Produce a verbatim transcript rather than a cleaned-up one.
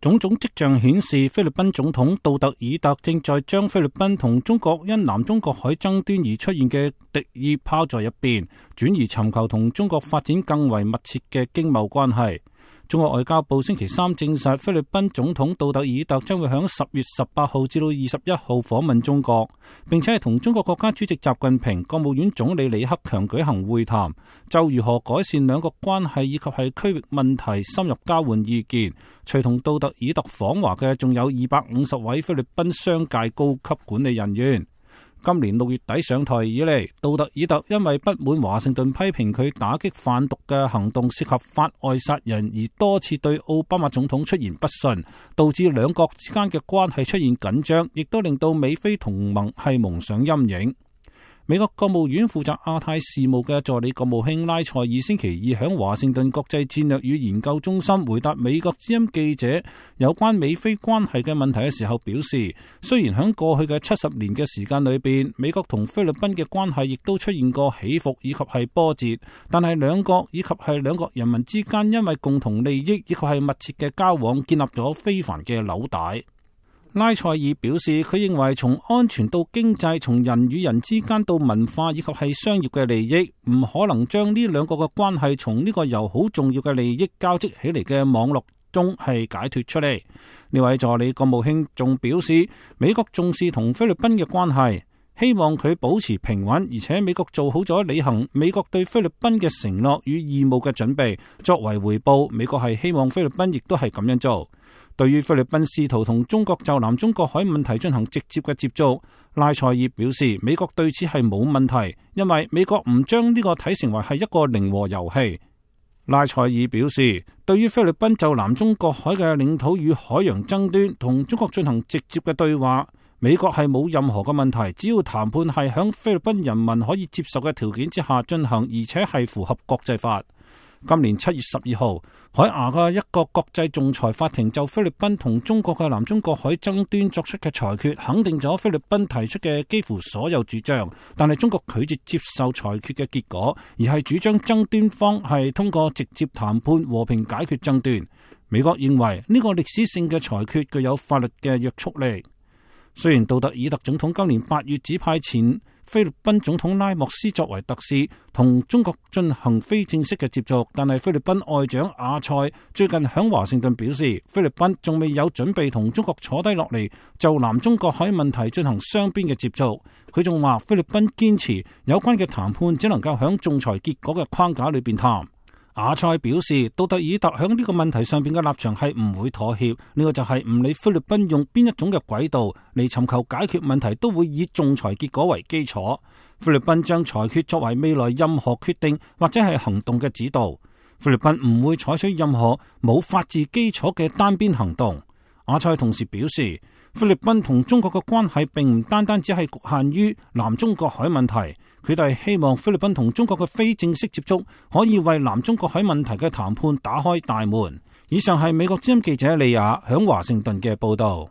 種種跡象顯示，菲律賓總統杜特爾特正在將菲律賓同中國因南中國海爭端而出現嘅敵意拋在一邊，轉而尋求同中國發展更為密切嘅經貿關係。中國外交部星期三證實，菲律賓總統杜特爾特將會喺十月十八號至到二十一號訪問中國，並且係同中國國家主席習近平、國務院總理李克強舉行會談，就如何改善兩國關係以及係區域問題深入交換意見。隨同杜特爾特訪華嘅仲有二百五十位菲律賓商界高級管理人員。今年六月底上台以嚟，杜特爾特因為不滿華盛頓批評佢打擊販毒嘅行動涉及法外殺人，而多次對奧巴馬總統出現不遜，導致兩國之間嘅關係出現緊張，亦都令到美菲同盟係蒙上陰影。美國國務院負責亞太事務嘅助理國務卿拉塞爾星期二喺華盛頓國際戰略與研究中心回答美國之音記者有關美菲關係嘅問題嘅時候表示，雖然喺過去嘅七十年嘅時間裏邊，美國同菲律賓嘅關係亦都出現過起伏以及係波折，但係兩國以及係兩國人民之間因為共同利益以及係密切嘅交往，建立咗非凡嘅紐帶。拉塞爾表示，佢認為從安全到經濟，從人與人之間到文化以及係商業嘅利益，唔可能將呢兩個嘅關係從呢個由好重要嘅利益交織起嚟嘅網絡中係解脫出嚟。呢位助理國務卿仲表示，美國重視同菲律賓嘅關係，希望佢保持平穩，而且美國做好咗履行美國對菲律賓嘅承諾與義務嘅準備。作為回報，美國係希望菲律賓亦都係咁樣做。對於菲律賓試圖同中國就南中國海問題進行直接嘅接觸，拉塞爾表示，美國對此係冇問題，因為美國唔將呢個睇成為係一個零和遊戲。拉塞爾表示，對於菲律賓就南中國海嘅領土與海洋爭端同中國進行直接嘅對話，美國係冇任何嘅問題，只要談判係響菲律賓人民可以接受嘅條件之下進行，而且係符合國際法。今年七月十二號，海牙嘅一個國際仲裁法庭就菲律賓同中國嘅南中國海爭端作出嘅裁決，肯定咗菲律賓提出嘅幾乎所有主張，但係中國拒絕接受裁決嘅結果，而係主張爭端方係通過直接談判和平解決爭端。美國認為呢個歷史性嘅裁決具有法律嘅約束力。雖然杜特爾特總統今年八月指派前菲律賓總統拉莫斯作為特使，同中國進行非正式嘅接觸，但係菲律賓外長阿塞最近響華盛頓表示，菲律賓仲未有準備同中國坐低落嚟就南中國海問題進行雙邊嘅接觸。佢仲話菲律賓堅持有關嘅談判只能夠響仲裁結果嘅框架裏邊談。阿塞表示，杜特爾特響呢個問題上邊嘅立場係唔會妥協，呢個就係唔理菲律賓用邊一種嘅軌道嚟尋求解決問題，都會以仲裁結果為基礎。菲律賓將裁決作為未來任何決定或者係行動嘅指導。菲律賓唔會採取任何冇法治基礎嘅單邊行動。阿塞同時表示，菲律賓同中國嘅關係並唔單單只係局限於南中國海問題。佢哋希望菲律賓同中國嘅非正式接觸可以為南中國海問題嘅談判打開大門。以上係美國之音記者利亞響華盛頓嘅報道。